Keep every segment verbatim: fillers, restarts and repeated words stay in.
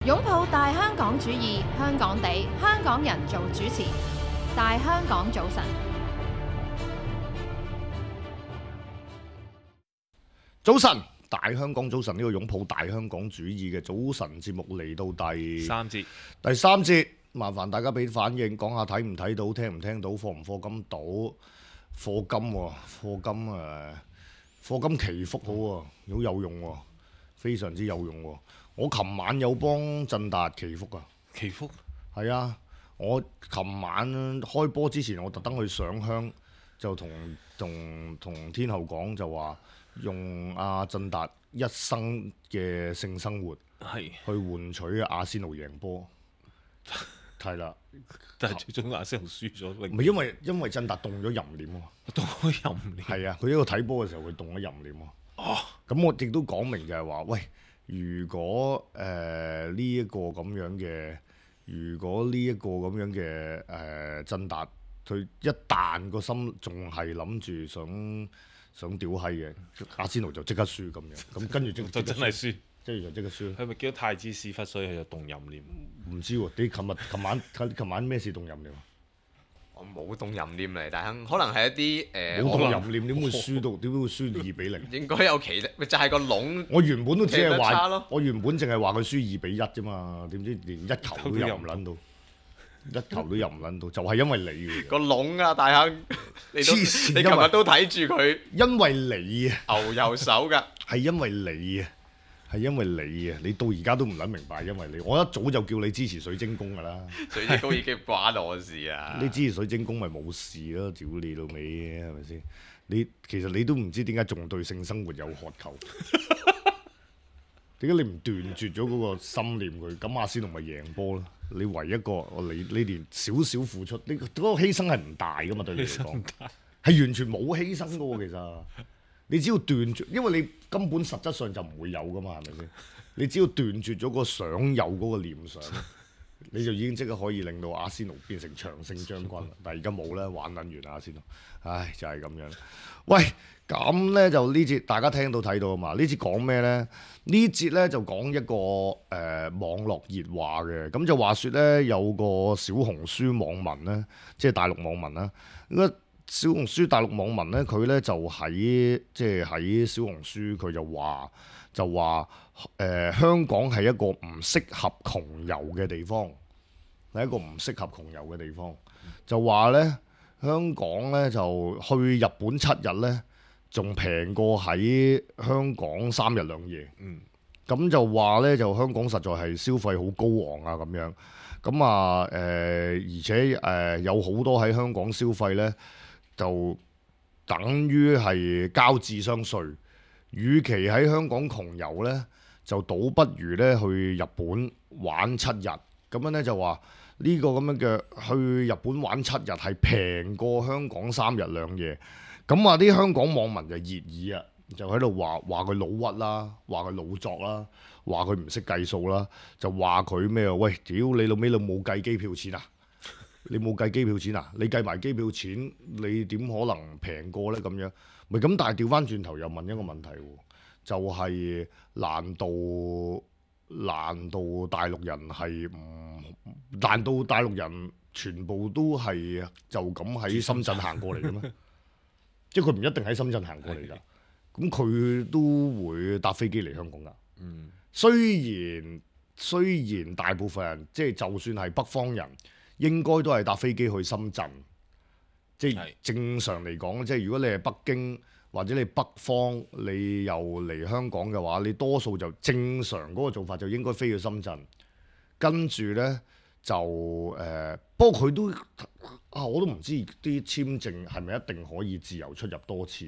擁抱大香港主義，香港地，香港人做主持。大香港早晨，早晨，大香港早晨，呢個擁抱大香港主義嘅早晨節目嚟到第三節，第三節，麻煩大家俾反應，講下睇唔睇到，聽唔聽到，課唔課金到，課金喎，課金誒，課金祈福好喎，好有用喎，非常之有用喎。我琴晚有幫振達祈福啊，祈福係啊，我琴晚開波之前，我特登去上香，就同同同天后講就話用阿振達一生嘅性生活係，去換取阿仙奴贏波，係啦，但係最終阿仙奴輸咗，唔係因為因為振達動咗淫念啊嘛，都可以任你。係啊，佢喺度睇波嘅時候佢動咗淫念啊，哦，咁我亦都講明就係話，喂，如果誒呢一個咁樣嘅，如果呢一個咁樣嘅誒振達，佢一旦個心仲係諗住想想屌閪嘅，阿仙奴就即刻輸咁樣，咁跟住即就真係輸，跟住就即刻輸。佢咪叫太子屎忽，所以佢就動淫念。唔知喎，你琴日、琴晚、琴晚咩事動淫念啊？我冇動淫念嚟，但係可能係一啲誒，冇我動淫念點會輸到？點會輸二比零？應該有其咪就係個籠。我原本都只係踢得差話咯，我原本淨係話佢輸二比一啫嘛，點知連一球都入唔撚到，一球都入唔撚到，就係因為你嘅，個籠啊，大亨，你都黐線你琴因為日都睇住佢因為你啊，牛右手㗎，係因為你啊，係因為你啊，你到而家都唔撚明白，因為你，我一早就叫你支持水晶宮㗎啦，水晶宮已經關我事啊！你支持水晶宮咪冇事咯，屌你老味係咪先？你其實你都唔知點解仲對性生活有渴求。點解你唔斷絕咗嗰個心念佢？咁阿仙奴咪贏波咯？你唯一一個，你你連少少付出，你嗰、嗰個犧牲係唔大噶嘛？對你嚟講，係完全冇犧牲噶喎。其實你只要斷絕，因為你根本實質上就唔會有噶嘛，係咪先？你只要斷絕咗個想有嗰個念想，你就已經即刻可以令到阿仙奴變成長勝將軍啦。但係而家冇咧，玩撚完啦阿仙奴，唉就係、係、咁樣。喂，咁咧就呢節大家聽到睇到啊嘛？呢節講咩咧？呢節咧就講一個誒、呃、網絡熱話嘅，咁就話説咧有個小紅書網民咧，即係大陸網民啦。咁個小紅書大陸網民咧，佢咧就喺即係喺小紅書佢就話就話誒、呃、香港係一個唔適合窮遊嘅地方，係一個唔適合窮遊嘅地方。就話咧香港咧就去日本七日咧，仲平過喺香港三日兩夜。嗯，咁就話咧，就香港實在係消費好高昂啊，咁樣。咁啊誒、呃，而且誒、呃、有好多喺香港消費咧，就等於係交智商稅。與其喺香港窮遊咧，就倒不如咧去日本玩七日。咁樣咧就話呢個咁樣嘅去日本玩七日係平過香港三日兩夜。咁啊啲香港網民就熱議啊，就喺度話話佢老屈啦，話佢老作啦，話佢唔識計數啦，就話佢咩啊？喂，屌你老尾你冇計機票錢啊！你冇計機票錢啊？你計埋機票錢，你點可能平過呢？咁樣咪咁？但係調翻轉頭又問一個問題喎，就係、難道難道大陸人係唔？難道大陸人全部都係就咁喺深圳行過嚟嘅咩？即係佢唔一定喺深圳行過嚟㗎，咁佢都會搭飛機嚟香港㗎。嗯，雖然雖然大部分人即係就算係北方人，應該都係搭飛機去深圳。即係正常嚟講，即係如果你係北京或者你北方，你又嚟香港嘅話，你多數就正常嗰個做法就應該飛去深圳，跟住呢，就誒、呃，不過佢都啊，我都唔知啲簽證係咪一定可以自由出入多次。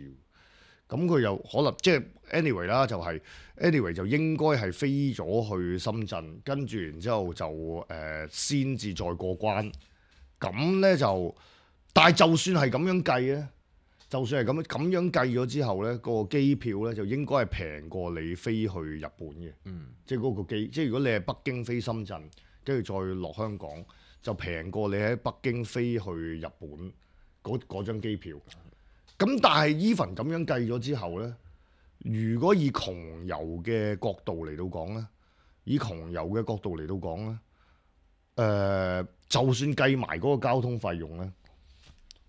咁佢又可能即係 anyway 啦，就係 anyway 就應該係飛咗去深圳，跟住然之後就誒先至再過關。咁呢，就，但係就算係咁樣計咧，就算係咁咁樣計咗之後呢，個機票呢就應該係平過你飛去日本嘅。嗯，即係嗰個機，即係如果你係北京飛深圳，跟住再落香港，就平過你喺北京飛去日本嗰嗰張機票。咁但係 even 咁樣計咗之後呢，如果以窮遊嘅角度嚟到講呢，以窮遊嘅角度嚟到講咧，誒、呃，就算計埋嗰個交通費用咧，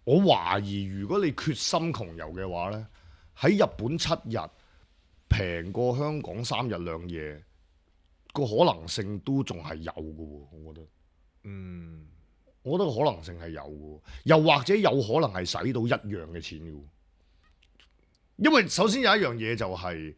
我懷疑如果你決心窮遊嘅話咧，喺日本七日平過香港三日兩夜，個可能性都仲係有嘅喎，我覺得。嗯，我覺得個可能性係有嘅，又或者有可能係使到一樣嘅錢嘅。因為首先有一樣嘢就係、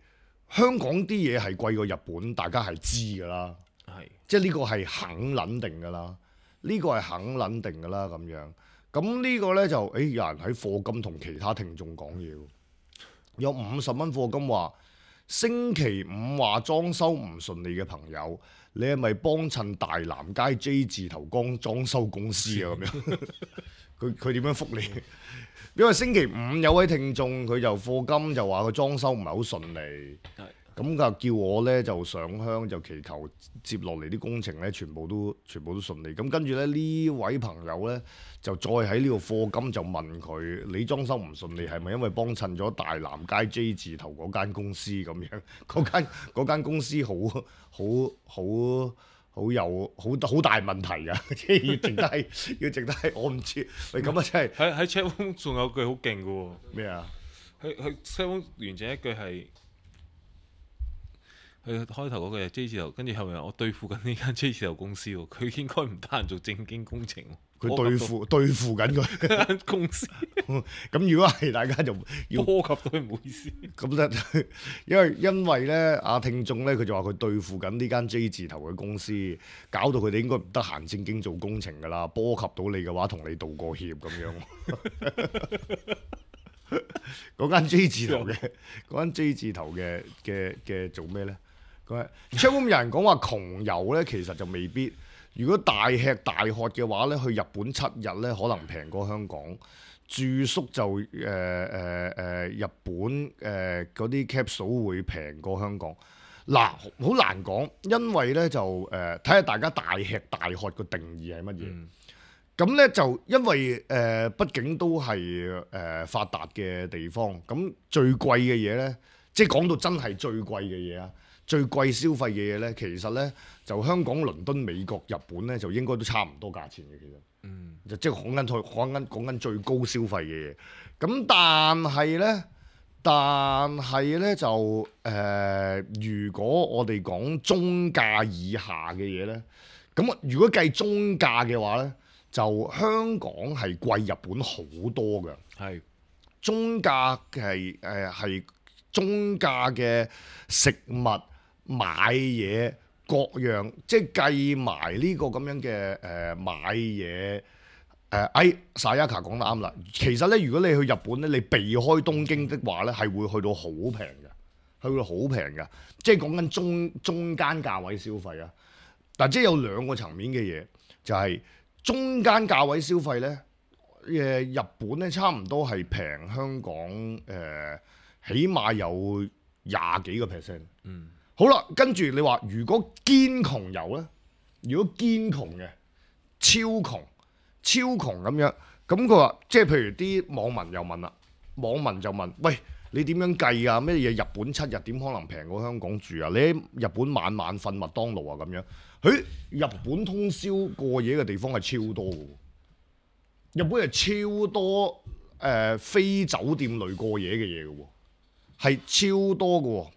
香港啲嘢係貴過日本，大家係知㗎啦，係即係呢個係肯撚定㗎啦，呢、個係肯撚定㗎啦咁樣。咁呢個呢，就誒、欸、有人喺課金同其他聽眾講嘢喎，有五十蚊課金話星期五話裝修唔順利嘅朋友，你係咪幫襯大南街 J 字頭光裝修公司啊？咁樣佢佢點樣覆你？因為星期五有位聽眾佢就課金就話個裝修唔係好順利，咁就叫我呢就上香就祈求接落嚟啲工程呢全部都全部都順利。咁跟住咧呢位朋友呢，就再喺呢個課金就問佢：你裝修唔順利係咪因為幫襯咗大南街 J 字頭嗰間公司咁樣？嗰間嗰間公司好好好。好有好好大問題㗎，即係要值得係要值得係，我唔知。喂，咁啊真係喺喺 chat room 仲有句好勁嘅喎。咩啊？佢佢 chat room 完整一句係佢開頭嗰句係 J 字頭，跟住後面我對付緊呢間 J 字頭公司喎，佢應該唔得閒做正經工程喎。佢對付對付緊佢間公司，咁如果係大家就要波及到佢唔好意思。咁咧，因為因為咧，阿聽眾咧佢就話佢對付緊呢間 J 字頭嘅公司，搞到佢哋應該唔得閒正經做工程㗎啦，波及到你嘅話，同你道個歉咁樣。嗰間 J 字頭嘅嗰間 J 字頭嘅嘅嘅做咩咧？佢 Channel 有人講話窮遊咧，其實就未必。如果大吃大喝嘅話咧，去日本七日咧，可能平過香港。住宿就誒誒誒日本誒嗰啲 capsule 會平過香港。嗱，好難講，因為咧就誒睇下大家大吃大喝個定義係乜嘢。咁咧、嗯、就因為誒、呃，畢竟都係誒、呃、發達嘅地方，咁最貴嘅嘢咧，即係講到真係最貴嘅嘢啊！最貴消費嘅嘢咧，其實咧就香港、倫敦、美國、日本咧，就應該都差唔多價錢嘅。其實，嗯，就即係講緊講緊講緊最高消費嘅嘢。咁但係咧，但係咧就誒、呃，如果我哋講中價以下嘅嘢咧，咁如果計中價嘅話咧，就香港係貴日本好多嘅。係是中價係誒係中價嘅食物。買嘢各樣，即係計埋呢個咁樣嘅誒、呃、買嘢誒，哎，Sayaka 講得啱啦。其實咧，如果你去日本咧，你避開東京的話咧，係會去到好平嘅，去到好平嘅，即係講緊中中間價位消費啊。但即係有兩個層面嘅嘢，就係、是、中間價位消費咧，誒日本咧差唔多係平香港誒、呃，起碼有廿幾個 percent。嗯。好啦，跟住你話如果堅窮遊咧，如果堅窮嘅超窮超窮咁樣，咁佢話即係譬如啲網民又問啦，網民就問：喂，你點樣計啊？咩嘢日本七日點可能平過香港住啊？你喺日本晚晚瞓麥當勞啊咁樣？誒，日本通宵過夜嘅地方係超多嘅，日本係超多誒、呃、非酒店類過夜嘅嘢嘅喎，係超多嘅喎。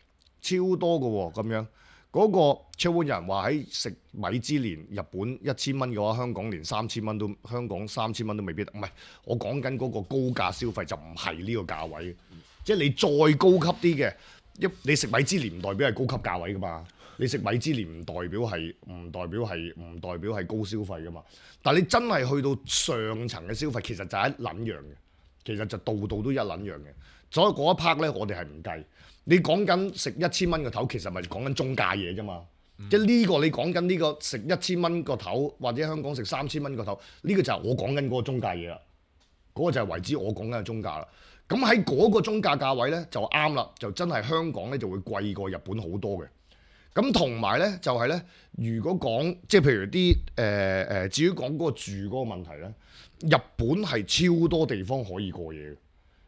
超多嘅喎，咁樣嗰、那個超會有人話喺食米芝蓮，日本一千蚊嘅話，香港連三千蚊都香港三千蚊都未必。唔係，我講緊嗰個高價消費就唔係呢個價位，嗯、即係你再高級啲嘅，一你食米芝蓮唔代表係高級價位噶嘛，你食米芝蓮唔代表係唔代表係唔代表係高消費噶嘛。但係你真係去到上層嘅消費，其實就係一撚樣嘅，其實就度度都一撚樣嘅。所以嗰一 part 咧，我哋係唔計。你講緊食一千蚊個頭，其實咪講緊中價嘢啫嘛。嗯、即係呢個你講緊呢個食一千蚊個頭，或者香港食三千蚊個頭，呢、呢個就係我講緊嗰個中價嘢啦。嗰、嗰個就係為之我講緊嘅中價啦。咁喺嗰個中價價位咧就啱啦，就真係香港咧就會貴過日本好多嘅。咁同埋咧就係、係、咧，如果講即係譬如啲誒誒，至於講嗰個住嗰個問題咧，日本係超多地方可以過夜嘅。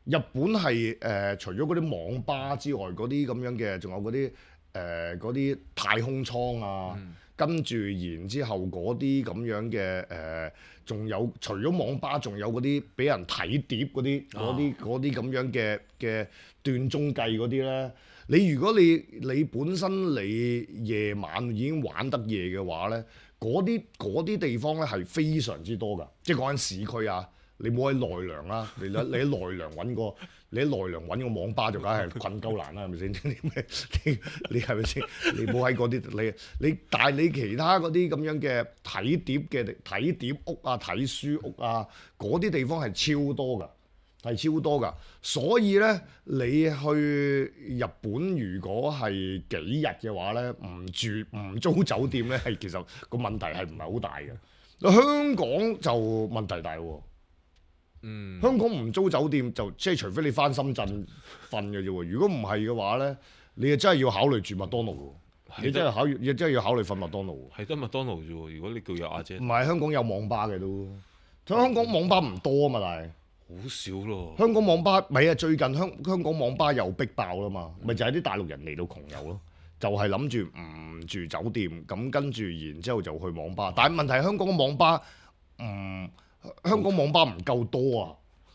日本係誒、呃、除咗嗰啲網吧之外，嗰啲咁樣嘅，仲有嗰啲誒嗰啲太空艙啊。嗯跟住然之後嗰啲咁樣嘅誒，仲、有除咗網吧，仲有嗰啲俾人睇碟嗰啲嗰啲嗰啲咁樣嘅嘅斷鐘計嗰啲咧。你如果你你本身你夜晚已經玩得夜嘅話咧，嗰啲嗰啲地方咧係非常之多㗎，即係講緊市區啊。你冇喺奈良啦，你喺你喺奈良揾個，你喺奈良揾個網吧就梗係困鳩難啦，係咪先？你你係咪先？你冇喺嗰啲，你你但係你其他嗰啲咁樣嘅睇碟嘅睇碟屋啊、睇書屋啊，嗰啲地方係超多㗎，係超多㗎。所以咧，你去日本如果係幾日嘅話咧，唔住唔租酒店咧，係其實個問題係唔係好大嘅。香港就問題大喎。嗯，香港唔租酒店就即係除非你翻深圳瞓嘅啫喎，如果唔係嘅話咧，你就真係要考慮住麥當勞喎，你真係考，你真係要考慮瞓麥當勞喎。係得麥當勞啫喎，如果你叫有阿姐唔，係香港有網吧嘅都，香港網吧唔多啊嘛，但係好少咯。香港網吧咪啊最近香香港網吧又逼爆啦嘛，咪就係啲大陸人嚟到窮遊咯，就係諗住唔住酒店，咁跟住然之後就去網吧，但係問題係香港嘅網吧唔。香港網吧唔夠多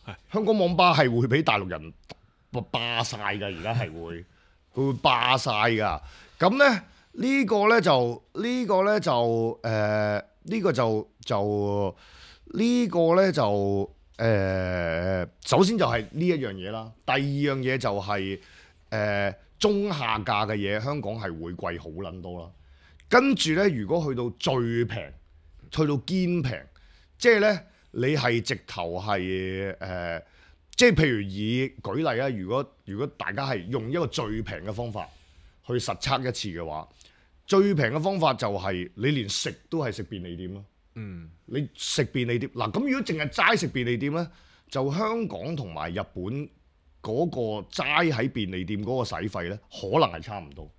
啊！香港網吧係會俾大陸人霸晒㗎，而家係會佢會霸晒㗎。咁咧呢、這個咧就呢、這個咧就誒呢、呃這個就就呢、這個咧就誒、呃、首先就係呢一樣嘢啦。第二樣嘢就係、是、誒、呃、中下價嘅嘢，香港係會貴好撚多啦。跟住咧，如果去到最平，去到堅平，即係咧。你係直頭係誒，即係譬如以舉例啊，如果如果大家係用一個最平嘅方法去實測一次嘅話，最平嘅方法就係你連食都係食便利店咯。嗯，你食便利店嗱，咁如果淨係齋食便利店咧，就香港同埋日本嗰個齋喺便利店嗰個使費咧，可能係差唔多，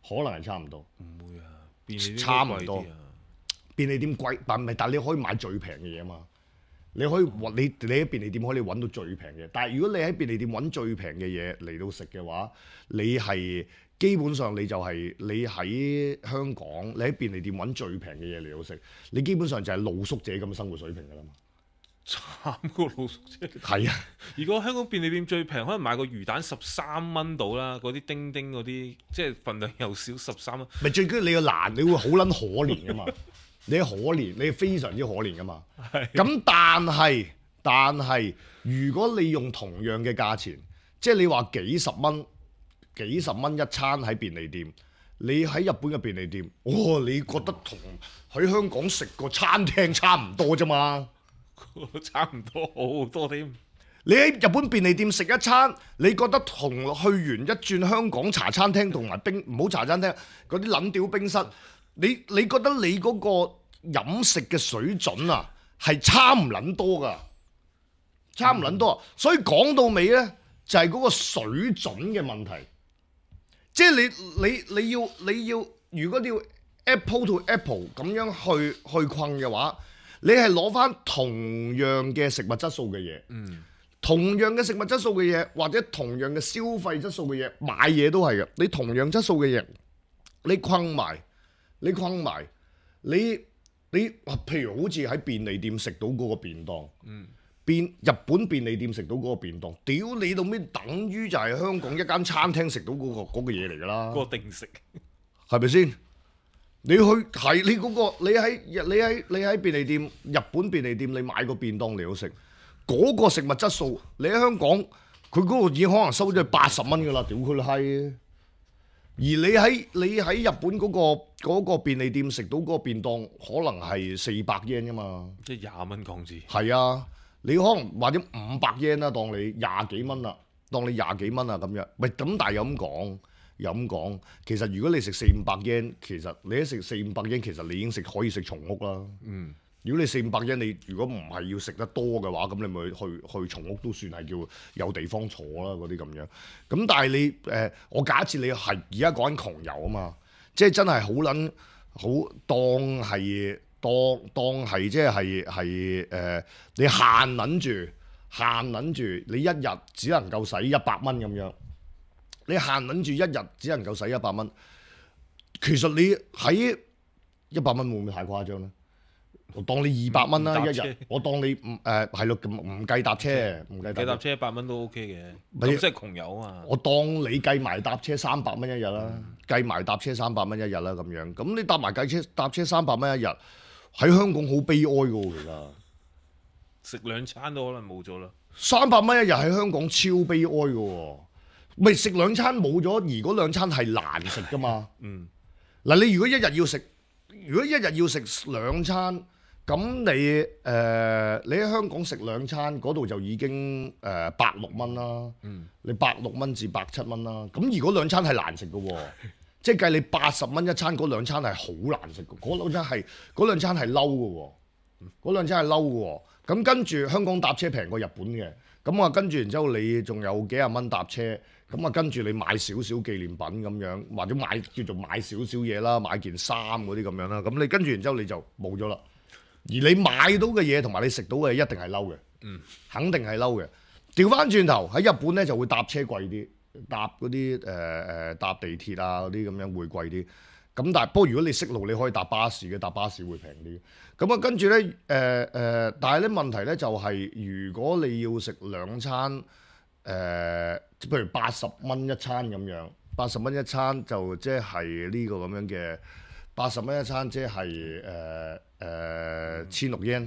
可能係差唔多。唔會啊，便利店差唔多貴啲啊。便利店貴，但係但係你可以買最平嘅嘢嘛？你可以揾你你喺便利店可以揾到最平嘅，但係如果你喺便利店揾最平嘅嘢嚟到食嘅話，你係基本上你就係你喺香港，你喺便利店揾最平嘅嘢嚟到食，你基本上就係露宿者咁嘅生活水平㗎啦嘛。慘過露宿者。係啊，如果香港便利店最平，可能買個魚蛋十三蚊到啦，嗰啲丁丁嗰啲，即係份量又少十三蚊。咪最緊要你個難，你會好撚可憐㗎嘛。你可憐，你非常之可憐㗎嘛。咁但係，但係，如果你用同樣嘅價錢，即係你話幾十蚊、幾十蚊一餐喺便利店，你喺日本嘅便利店，哦，你覺得同喺香港食個餐廳差唔多啫嘛？差唔多，好多添。你喺日本便利店食一餐，你覺得同去完一轉香港茶餐廳同埋冰唔好茶餐廳嗰啲撚屌冰室，你你覺得你嗰個飲食嘅水準啊係差唔撚多㗎，差唔撚多。嗯、所以講到尾呢，就係、是、嗰個水準嘅問題。即係你你你要你要，如果你要 Apple to Apple 咁樣去去困嘅話，你係攞翻同樣嘅食物質素嘅嘢，嗯、同樣嘅食物質素嘅嘢，或者同樣嘅消費質素嘅嘢，買嘢都係嘅。你同樣質素嘅嘢，你困埋，你困埋，你你譬如好似喺便利店食到嗰個便當，嗯、便日本便利店食到嗰個便當，屌你到咩？等於就係香港一間餐廳食到嗰、嗰個嗰個嘢嚟㗎啦，個定食係咪先？你去係你嗰、嗰個，你喺你喺你喺便利店，日本便利店，你買個便當嚟到食，嗰、嗰個食物質素，你喺香港佢嗰個已經可能收咗八十蚊㗎啦，屌佢閪！而你喺你喺日本嗰、嗰個嗰個便利店食到嗰個便當，可能係四百 yen 㗎嘛，即係廿蚊港紙。係啊，你可能或者五百 yen 啦，當你廿幾蚊啦，當你廿幾蚊啊咁樣，喂咁但係又咁講。咁講，其實如果你食四五百 yen，其實你一食四五百 yen，其實你已經食可以食松屋啦。嗯，如果你四五百 yen，你如果唔係要食得多嘅話，咁你咪去去松屋都算係叫有地方坐啦，嗰啲咁樣。咁但係你誒、呃，我假設你係而家講緊窮遊啊嘛，即係真係好撚好當係當當係即係係係誒，你限撚住限撚住，你一日只能夠使一百蚊咁樣。你限撚住一日只能夠使一百蚊，其實你喺一百蚊會唔會太誇張咧？我當你二百蚊啦一日，我當你唔誒係咯，唔計搭車，唔計計搭車一百蚊都 OK 嘅，你咁即係窮遊啊嘛。我當你計埋搭車三百蚊一日啦，計埋搭車三百蚊一日啦咁樣，咁你搭埋計車搭車三百蚊一日，喺香港好悲哀噶喎，其實食兩餐都可能冇咗啦。三百蚊一日喺香港超悲哀噶喎，咪食兩餐冇咗，而嗰兩餐係難食噶嘛。嗯，嗱你如果一日要食，如果一日要食兩餐。咁你誒、呃、你喺香港食兩餐嗰度就已經誒百六蚊啦，嗯、你百六蚊至百七蚊啦。咁如果兩餐係難食嘅喎，即係計你八十蚊一餐嗰兩餐係好難食嘅，嗰兩餐係嗰兩餐係嬲嘅喎，嗰兩餐係嬲嘅喎。咁跟住香港搭車平過日本嘅，咁啊跟住然之後你仲有幾廿蚊搭車，咁啊跟住你買少少紀念品咁樣，或者買叫做買少少嘢啦，買件衫嗰啲咁樣啦，咁你跟住然之後你就冇咗啦。而你買到嘅嘢同埋你食到嘅嘢一定係嬲嘅，嗯、肯定係嬲嘅。調翻轉頭喺日本咧就會搭車貴啲，搭嗰啲誒誒搭地鐵啊嗰啲咁樣會貴啲。咁但係不過如果你識路，你可以搭巴士嘅，搭巴士會平啲。咁啊跟住咧誒誒，但係咧問題咧就係、是、如果你要食兩餐誒、呃，譬如八十蚊一餐咁樣，八十蚊一餐就即係呢個咁樣嘅八十蚊一餐，即係誒。誒千六 yen，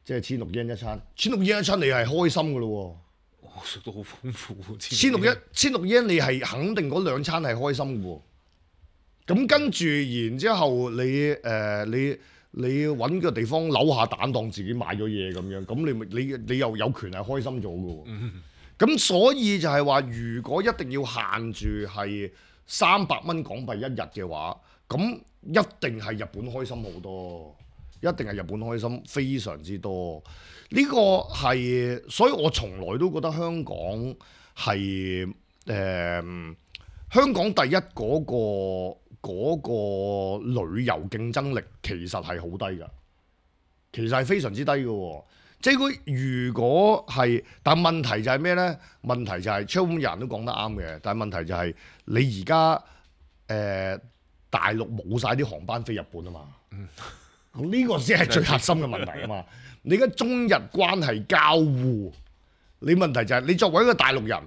即係千六 yen 一餐，千六 yen 一餐你係開心嘅咯喎，我食到好豐富喎。千六一千六 yen 你係肯定嗰兩餐係開心嘅喎，咁跟住然之後你誒、呃、你你揾個地方扭下蛋當自己買咗嘢咁樣，咁你咪你你又有權係開心咗嘅喎，咁、嗯、所以就係話如果一定要限住係三百蚊港幣一日嘅話，咁一定係日本開心好多。一定係日本開心非常之多，呢、這個係，所以我從來都覺得香港係誒、呃、香港第一嗰、那個嗰、那個旅遊競爭力其實係好低㗎，其實係非常之低嘅喎。即係佢如果係，但問題就係咩呢？問題就係超滿人都講得啱嘅，但係問題就係你而家誒大陸冇晒啲航班飛日本啊嘛。嗯呢個先係最核心嘅問題啊嘛！你而家中日關係交互，你問題就係你作為一個大陸人，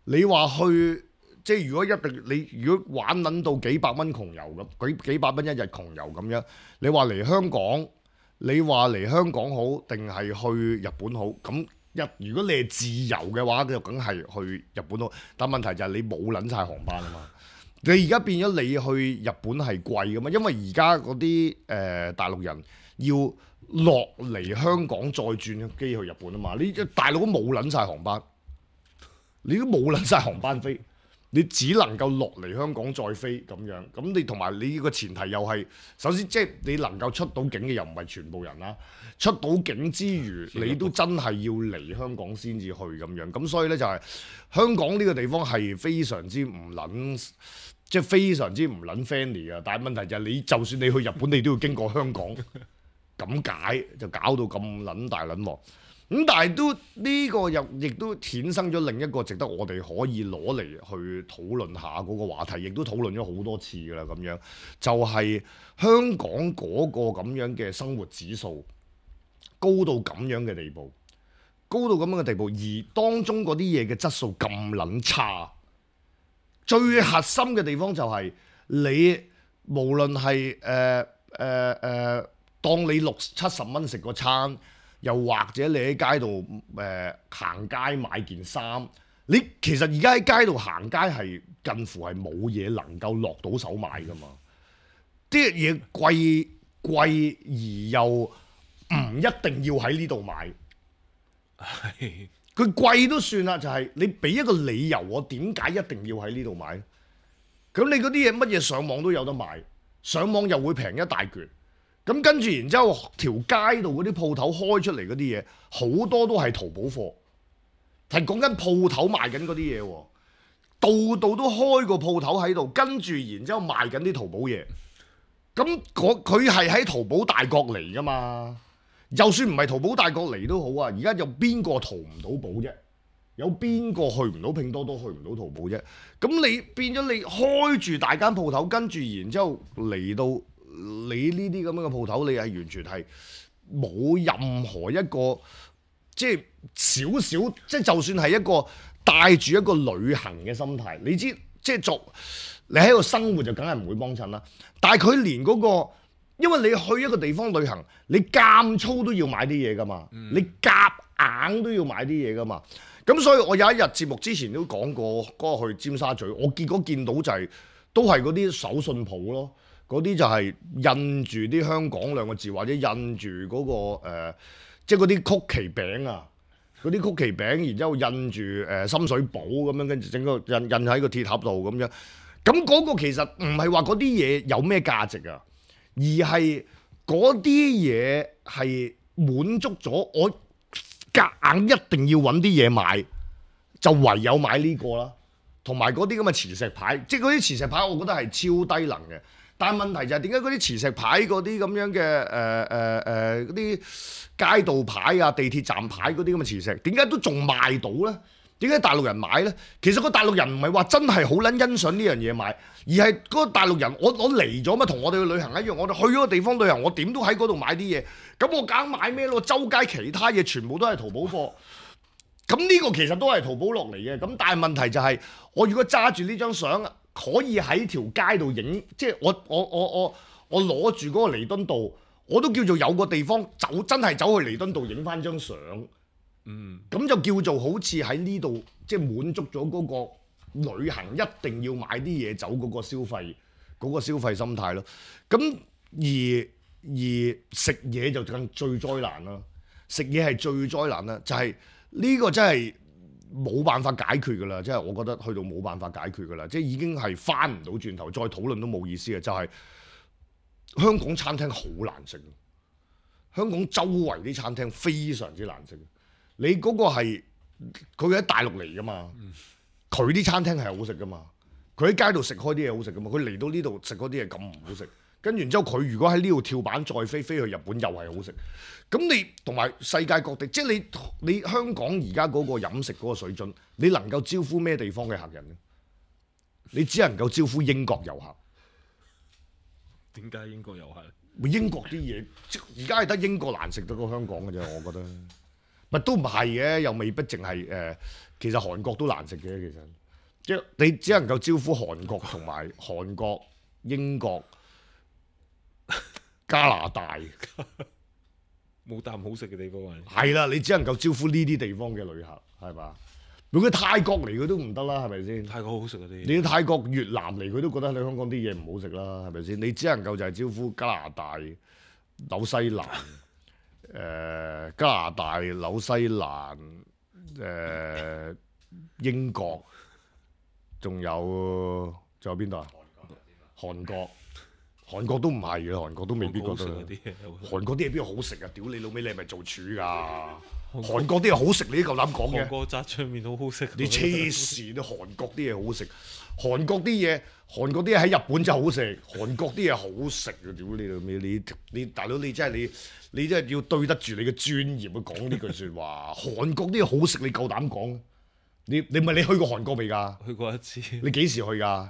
你話去即係如果一定你如果玩撚到幾百蚊窮遊咁，幾幾百蚊一日窮遊咁樣，你話嚟香港，你話嚟香港好定係去日本好？咁一如果你係自由嘅話，就梗係去日本好。但問題就係你冇撚晒航班啊嘛！你而家變咗你去日本係貴噶嘛？因為而家嗰啲誒大陸人要落嚟香港再轉機去日本啊嘛！你大陸都冇撚晒航班，你都冇撚晒航班飛，你只能夠落嚟香港再飛咁樣。咁你同埋你個前提又係，首先即係你能夠出到境嘅又唔係全部人啦。出到境之餘，你都真係要嚟香港先至去咁樣。咁所以呢，就係、是、香港呢個地方係非常之唔撚。即係非常之唔撚 friendly 啊！但係問題就係你就算你去日本，你都要經過香港，咁解就搞到咁撚大撚鑊。咁但係都呢、這個又亦都衍生咗另一個值得我哋可以攞嚟去討論下嗰個話題，亦都討論咗好多次㗎啦。咁樣就係、是、香港嗰個咁樣嘅生活指數高到咁樣嘅地步，高到咁樣嘅地步，而當中嗰啲嘢嘅質素咁撚差。最核心嘅地方就係你無論係誒誒誒，當你六七十蚊食個餐，又或者你喺街度誒、呃、行街買件衫，你其實而家喺街度行街係近乎係冇嘢能夠落到手買㗎嘛。啲嘢貴貴而又唔一定要喺呢度買。係。佢貴都算啦，就係、是、你俾一個理由，我點解一定要喺呢度買？咁你嗰啲嘢乜嘢上網都有得買，上網又會平一大橛。咁跟住然之後，條街度嗰啲鋪頭開出嚟嗰啲嘢，好多都係淘寶貨，係講緊鋪頭賣緊嗰啲嘢喎，度度都開個鋪頭喺度，跟住然之後賣緊啲淘寶嘢。咁佢係喺淘寶大國嚟㗎嘛？就算唔係淘寶大國嚟都好啊，而家有邊個淘唔到寶啫？有邊個去唔到拼多多，去唔到淘寶啫？咁你變咗你開住大間鋪頭，跟住然之後嚟到你呢啲咁樣嘅鋪頭，你係完全係冇任何一個即係少少，即係就算係一個帶住一個旅行嘅心態，你知即係作你喺度生活就梗係唔會幫襯啦。但係佢連嗰個，因為你去一個地方旅行，你間粗都要買啲嘢噶嘛，嗯、你夾硬都要買啲嘢噶嘛。咁所以我有一日節目之前都講過，嗰、那個去尖沙咀，我結果見到就係、是、都係嗰啲手信鋪咯，嗰啲就係印住啲香港兩個字，或者印住嗰、那個、呃、即係嗰啲曲奇餅啊，嗰啲曲奇餅，然之後印住誒、呃、深水埗咁樣，跟住整個印印喺個鐵盒度咁樣。咁嗰個其實唔係話嗰啲嘢有咩價值啊，而係嗰啲嘢係滿足咗我。夾硬一定要揾啲嘢買，就唯有買呢個啦。同埋嗰啲咁嘅磁石牌，即係嗰啲磁石牌，我覺得係超低能嘅。但係問題就係點解嗰啲磁石牌嗰啲咁樣嘅誒誒誒嗰啲街道牌啊、地鐵站牌嗰啲咁嘅磁石，點解都仲賣到呢？點解大陸人買呢？其實個大陸人唔係話真係好撚欣賞呢樣嘢買，而係嗰個大陸人，我我嚟咗嘛，同我哋去旅行一樣，我哋去咗個地方旅行，我點都喺嗰度買啲嘢。咁我梗買咩咯？周街其他嘢全部都係淘寶貨。咁呢個其實都係淘寶落嚟嘅。咁但係問題就係、是，我如果揸住呢張相，可以喺條街度影，即係我我我我我攞住嗰個彌敦道，我都叫做有個地方走，真係走去彌敦道影翻張相。嗯，咁就叫做好似喺呢度，即係滿足咗嗰個旅行一定要買啲嘢走嗰個消費嗰個消費心態咯。咁而而食嘢就更最災難啦，食嘢係最災難啦，就係呢個真係冇辦法解決㗎啦，即係我覺得去到冇辦法解決㗎啦，即係已經係翻唔到轉頭，再討論都冇意思嘅，就係香港餐廳好難食，香港周圍啲餐廳非常之難食。你嗰個係佢喺大陸嚟㗎嘛？佢啲、嗯、餐廳係好食㗎嘛？佢喺街度食開啲嘢好食㗎嘛？佢嚟到呢度食嗰啲嘢咁唔好食，跟住之後佢如果喺呢度跳板再飛飛去日本又係好食。咁你同埋世界各地，即係你你香港而家嗰個飲食嗰個水準，你能夠招呼咩地方嘅客人呢？你只能夠招呼英國遊客。點解英國遊客？英國啲嘢，而家係得英國難食得過香港嘅啫，我覺得。咪都唔係嘅，又未必淨係誒。其實韓國都難食嘅，其實即係你只能夠招呼韓國同埋韓國、英國、加拿大，冇啖好食嘅地方啊！係啦，你只能夠招呼呢啲地方嘅旅客，係嘛？如果泰國嚟佢都唔得啦，係咪先？泰國好食嗰啲，你泰國、越南嚟佢都覺得你香港啲嘢唔好食啦，係咪先？你只能夠就係招呼加拿大、紐西蘭。誒、呃、加拿大、紐西蘭、誒、呃、英國，仲有仲有邊度啊？韓國，韓國都唔係嘅，韓國都未必覺得。韓國啲嘢邊度好食啊？屌你老味，你係咪做廚㗎？韓國啲嘢好食，你都夠膽講嘅？韓國炸醬麵好好食。你黐線啊！韓國啲嘢好食，韓國啲嘢，韓國啲嘢喺日本真係好食，韓國啲嘢好食啊！屌你老味，你你大佬你真係你。你真係要對得住你嘅專業去講呢句説話。韓國啲嘢好食，你夠膽講？你你唔係你去過韓國未㗎？去過一次。你幾時去㗎？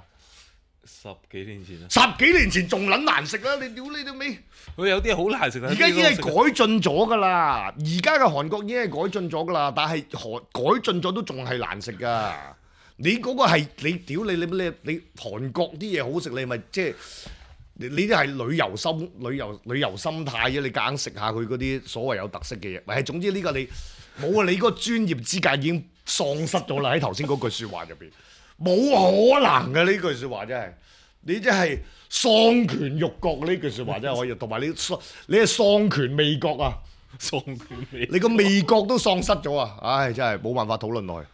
十幾年前啊！十幾年前仲撚難食啦！你屌你老味！佢有啲好難食啊！而家已經係改進咗㗎啦。而家嘅韓國已經係改進咗㗎啦，但係韓改進咗都仲係難食㗎。你嗰個係你屌你你你你韓國啲嘢好食，你咪即係。你呢啲係旅遊心、旅遊旅遊心態啫，你夾硬食下佢嗰啲所謂有特色嘅嘢。喂，總之呢個你冇啊！你嗰個專業資格已經喪失咗啦。喺頭先嗰句説話入邊，冇可能嘅呢句説話真係，你真係喪權辱國呢句説話真係可以。同埋你喪，你係喪權味覺啊！喪權味，你個味覺都喪失咗啊！唉，真係冇辦法討論落去。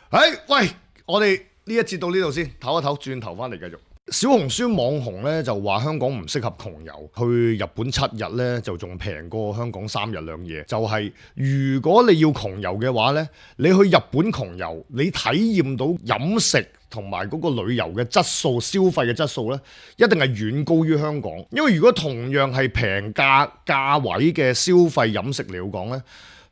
唉，喂，我哋呢一節到呢度先，唞一唞，轉頭翻嚟繼續。小紅書網紅咧就話香港唔適合窮遊，去日本七日咧就仲平過香港三日兩夜。就係、是、如果你要窮遊嘅話咧，你去日本窮遊，你體驗到飲食同埋嗰個旅遊嘅質素、消費嘅質素咧，一定係遠高於香港。因為如果同樣係平價價位嘅消費飲食嚟講咧，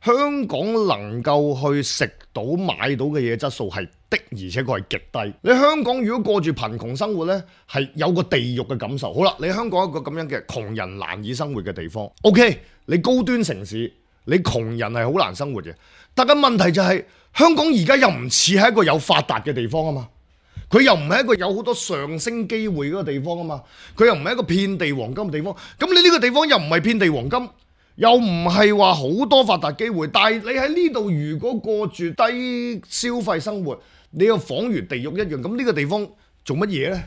香港能夠去食到買到嘅嘢質素係的，而且確係極低。你香港如果過住貧窮生活呢，係有個地獄嘅感受。好啦，你香港一個咁樣嘅窮人難以生活嘅地方 ，OK， 你高端城市，你窮人係好難生活嘅。但係問題就係、是、香港而家又唔似係一個有發達嘅地方啊嘛。佢又唔係一個有好多上升機會嗰個地方啊嘛，佢又唔係一個遍地黃金嘅地方。咁你呢個地方又唔係遍地黃金，又唔係話好多發達機會。但係你喺呢度如果過住低消費生活，你又仿如地獄一樣。咁呢個地方做乜嘢呢？